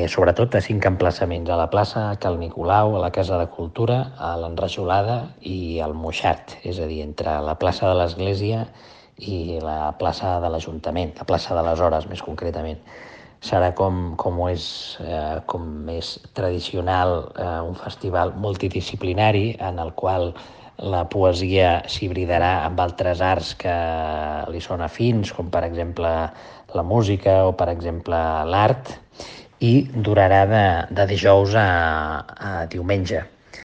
sobretot a 5 emplaçaments: a la plaça Cal Nicolau, a la Casa de Cultura, a l'Enrajolada i al Moixart, és a dir, entre la plaça de l'Església i la plaça de l'Ajuntament, la plaça de les Hores, més concretament. Serà com és tradicional, un festival multidisciplinari en el qual la poesia s'hibridarà amb altres arts que li són afins, com per exemple la música o per exemple l'art, i durarà de dijous a diumenge.